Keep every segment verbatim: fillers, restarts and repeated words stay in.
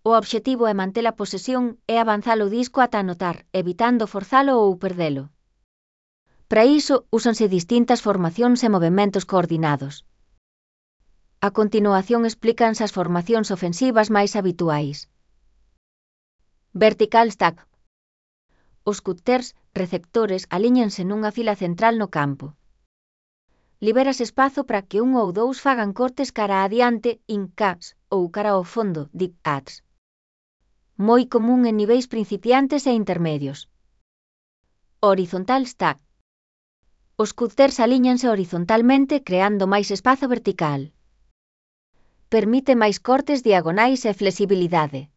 O obxectivo é manter a posesión e avanzar o disco ata anotar, evitando forzalo ou perdelo. Para iso, úsanse distintas formacións e movementos coordinados. A continuación explícanse as formacións ofensivas máis habituais. Vertical stack. Os cutters, receptores, alíñanse nunha fila central no campo. Liberas espazo para que un ou dous fagan cortes cara adiante, in-cuts, ou cara ao fondo, dig-outs. Moi común en niveis principiantes e intermedios. Horizontal stack. Os cutters alíñanse horizontalmente creando máis espazo vertical. Permite máis cortes diagonais e flexibilidade.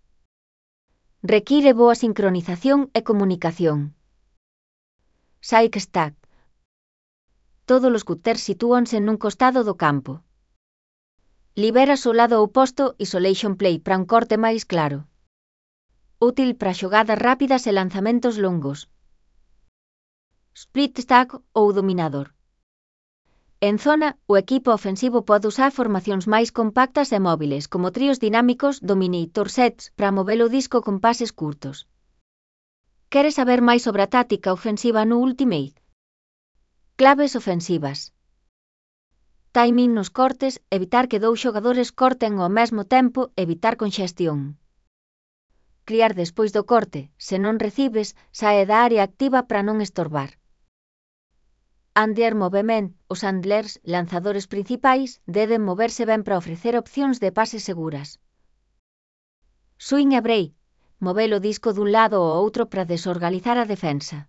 Require boa sincronización e comunicación. Side stack. Todos os cutters sitúanse nun costado do campo. Liberas o lado oposto isolation play para un corte máis claro. Útil para xogadas rápidas e lanzamentos longos. Split stack ou dominador. En zona, o equipo ofensivo pode usar formacións máis compactas e móviles como tríos dinámicos dominator sets para mover o disco con pases curtos. Queres saber máis sobre a táctica ofensiva no Ultimate? Claves ofensivas. Timing nos cortes, evitar que dous xogadores corten ao mesmo tempo, evitar conxestión. Criar despois do corte, se non recibes, sae da área activa para non estorbar. Handler movement, os handlers, lanzadores principais, deben moverse ben para ofrecer opcións de pases seguras. Swing e break, mover o disco dun lado ao outro para desorganizar a defensa.